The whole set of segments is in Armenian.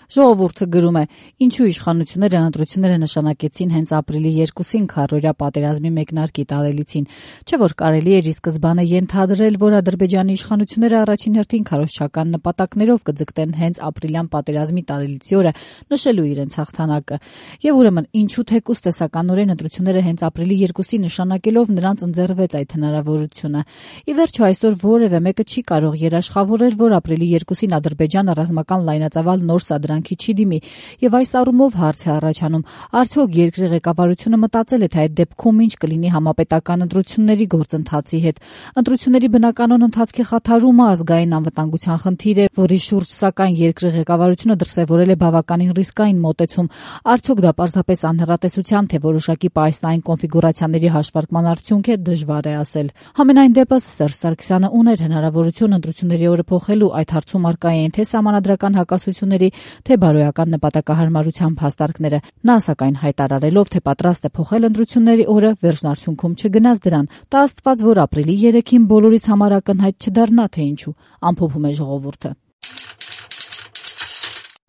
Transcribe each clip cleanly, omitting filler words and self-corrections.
Ժողովուրդը գրում է. ինչու իշխանությունները ընտրությունները նշանակեցին հենց ապրիլի 2-ին քառօրյա պատերազմի մեկնարկի տարելիցին, չէ՞ որ կարելի էր ի սկզբանե ենթադրել, որ Ադրբեջանի իշխանությունները առաջին հերթին քարոզչական նպատակներով կձգտեն հենց ապրիլյան պատերազմի տարելիցի օրը նշելու իրենց հաղթանակը։ Եվ ուրեմն ինչու թեկուզ տեսականորեն ընտրությունները հենց ապրիլի 2-ի նշանակելով նրանց ընձեռվեց այդ հնարավորությունը։ Ի վերջո այսօր որևէ մեկը չի կարող երաշխավորել, որ ապրիլի 2-ին Ադրբեջանը ռազմական լայնածավալ նոր սադրանքի չի դիմի, եւ այս առումով հարց է առաջանում. արդյոք երկրի ղեկավարությունը մտածել է, թե այդ դեպքում ինչ կլինի համապետական ընտրությունների գործընթացի հետ։ Ընտրությունների բնականon ընթացքի խաթարումը ազգային անվտանգության խնդիր է, որի շուրջ սակայն երկրի ղեկավարությունը դրսևորել է բավականին ռիսկային մոտեցում։ Արդյոք դա պարզապես անհեռատեսության, թե որոշակի պահեստային կոնֆիգուրացիաների հաշվարկման արդյունք է, դժվար է ասել։ Համենայն դեպս Սերժ Սարգսյանը ուներ հնարավորություն ընտրությունների օրը փոխելու, այդ հարցում առկա էին թե սահմանադրական հակասությունների, թե բարոյական նպատակահարմարության փաստարկները։ Նա սակայն հայտարարելով, թե պատրաստ է փոխել ընտրությունների օրը, վերջնարդյունքում չգնաց դրան։ Տա Աստված, որ ապրիլի 3-ին բոլորիս համար ակնհայտ չդառնա, թե ինչու, ամփոփում է ժողովուրդը։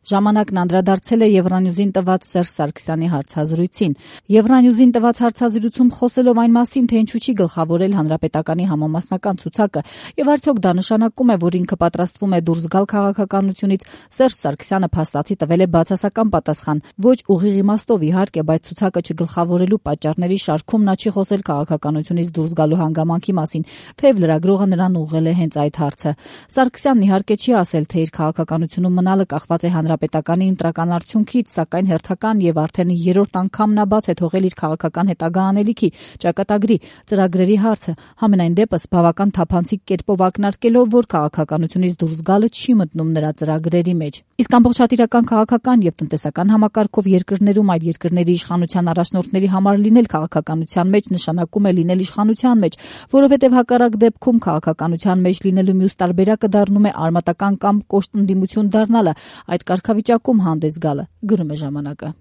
Ժամանակն անդրադարձել է Եվրանյուզին տված Սերժ Սարգսյանի հարցազրույցին։ Եվրանյուզին տված հարցազրույցում խոսելով այն մասին, թե ինչու չի գլխավորել հանրապետականի համամասնական ցուցակը եւ արդյոք դա նշանակում է, որ ինքը պատրաստվում է դուրս գալ քաղաքականությունից, Սերժ Սարգսյանը փաստացի տվել է բացասական պատասխան։ Ոչ ուղիղ իմաստով իհարկե, բայց ցուցակը չգլխավորելու պատճառների շարքում նա չի խոսել քաղաքականությունից դուրս գալու հանգամանքի մասին, թեև լրագրողը նրան ուղղել է հենց այդ հարցը։ Սարգսյանն իհարկե չի ասել, թե իր քաղաքականությունում մնալը կախված է հանրապետականի ընտրական արդյունքից, սակայն հերթական եւ արդեն 3-րդ անգամ նա բաց է թողել իր քաղաքական հետագա անելիքի, ճակատագրի, ծրագրերի հարցը, համենայն դեպս բավական թափանցիկ կերպով ակնարկելով, որ քաղաքականությունից դուրս գալը չի մտնում նրա ծրագրերի մեջ։ Իսկ ամբողջատիրական քաղաքական եւ տնտեսական համակարգով երկրներում այդ երկրների իշխանության առաջնորդների համար լինել քաղաքականության մեջ նշանակում է լինել իշխանության մեջ, որովհետեւ հակառակ դեպքում քաղաքականության մեջ լինելու մյուս տարբերակը դառնում է արմատական կամ կոշտ ընդդիմություն դառնալը, այդ կարգավիճակում հանդես գալը, գրում է ժամանակը։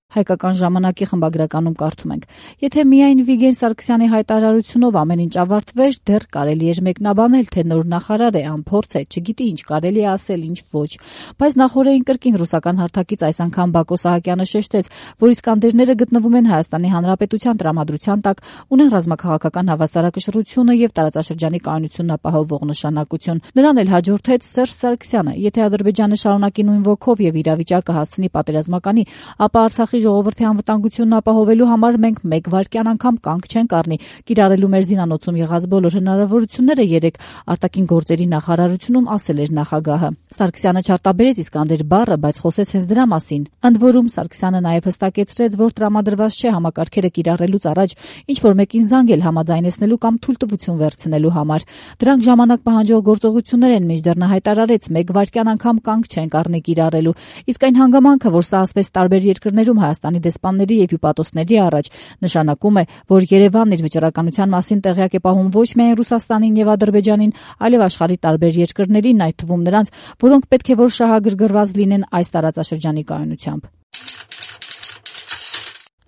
Հայկական ժամանակի խմբագրականում կարդում ենք. եթե միայն Վիգեն Սարգսյանի հայտարարությունով ամեն ինչ ավարտվեր, դեռ կարելի էր մեկնաբանել, թե նոր նախարար է, անփորձ է, չգիտի ինչ կարելի է ասել, ինչ ոչ։ Բայց նախորդին կրկին ռուսական հարթակից այս անգամ Բակո Սահակյանը շեշտեց, որ իսկանդերները գտնվում են Հայաստանի Հանրապետության տրամադրության տակ, ունեն ռազմաքաղաքական հավասարակշռությունը եւ տարածաշրջանի կայունությունն ապահովող նշանակություն։ Նրան էլ հաջորդեց Սերժ Սարգսյանը. եթե Ադրբեջանը շարունակի նույն ոգով եւ իրավիճակը հասցնի պատերազմականի, ապա Արցախի ժողովրդի անվտանգությունն ապահովելու համար մենք մեկ վայրկյան անգամ կանգ չենք առնի, կիրառելու մեր զինանոցում եղած բոլոր հնարավորությունները երեք արտաքին գործերի նախարարությունում ասել էր նախագահը։ Սարգսյանը չարտաբերեց Իսկանդեր բառը, բայց խոսեց հենց դրա մասին։ Ընդ որում Սարգսյանը նաև հստակեցրեց, որ տրամադրված չէ համակարգերը կիրառելուց առաջ ինչ որ մեկին զանգել համաձայնեցնելու կամ թույլտվություն վերցնելու համար։ Դրանք ժամանակ պահանջող գործողություններ են, մինչդեռ նա հայտարարեց մեկ վայրկյան անգամ կանգ չենք առնի կիրառելու։ Իսկ այն հանգամանքը, որ սա ասվեց տարբեր երկրներում Հայաստանի դեսպանների եւ հյուպատոսների առաջ, նշանակում է, որ Երևանն իր վճռականության մասին տեղյակ է պահում ոչ միայն Ռուսաստանին եւ Ադրբեջանին, այլև աշխարհի տարբեր երկրներին, այդ թվում նրանց, որոնք պետք է որ շահագրգռված լինեն այս տարածաշրջանի կայունությամբ։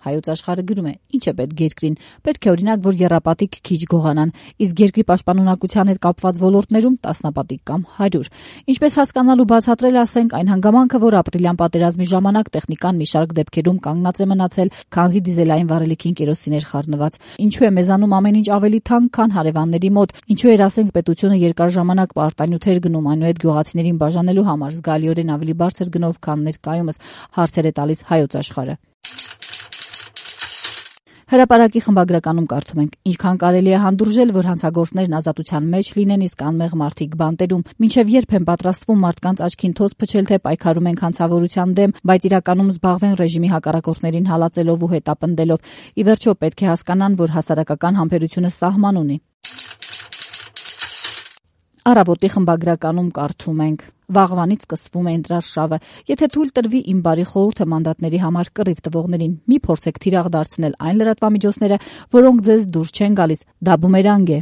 Հայոց աշխարհը գրում է. ինչ է պետք երկրին։ Պետք է օրինակ, որ եռապատիկ քիչ գողանան, իսկ երկրի պաշտպանունակության հետ կապված ոլորտներում տասնապատիկ կամ 100։ Ինչպես հասկանալ ու բացատրել, ասենք, այն հանգամանքը, որ ապրիլյան պատերազմի ժամանակ տեխնիկան մի շարք դեպքերում կանգնած է մնացել, քանզի դիզելային վառելիքին կերոսին էր խառնված։ Ինչու է մեզանում ամեն ինչ ավելի թանկ, քան հարևանների մոտ։ Ինչու էր, ասենք, պետությունը երկար ժամանակ պարտանյութեր գնում այնուհետ գյուղացիներին բաժանելու համար զգալիորեն ավելի բարձր գնով, քան ներկայումս, հարցեր է տալիս Հայոց աշխարհը։ Հրապարակի խմբագրականում կարդում ենք. ինչքան կարելի է հանդուրժել, որ հանցագործներն ազատության մեջ լինեն, իսկ անմեղ մարդիկ բանտերում, մինչև երբ են պատրաստվում մարդկանց աչքին թոզ փչել, թե պայքարում են հանցավորության դեմ, բայց իրականում զբաղվեն ռեժիմի հակառակորդներին հալածելով ու հետապնդելով։ Ի վերջո պետք է հասկանան, որ հասարակական համբերությունը սահման ունի։ Առավոտի խմբագրականում կարդում ենք. վաղվանից սկսվում է ընտրարշավը։ Եթե թույլ տրվի իմ բարի խորհուրդը մանդատների համար կռիվ տվողներին, մի փորձեք թիրախ դարձնել այն լրատվամիջոցները, որոնք ձեզ դուրս չեն գալիս, դա բումերանգ է։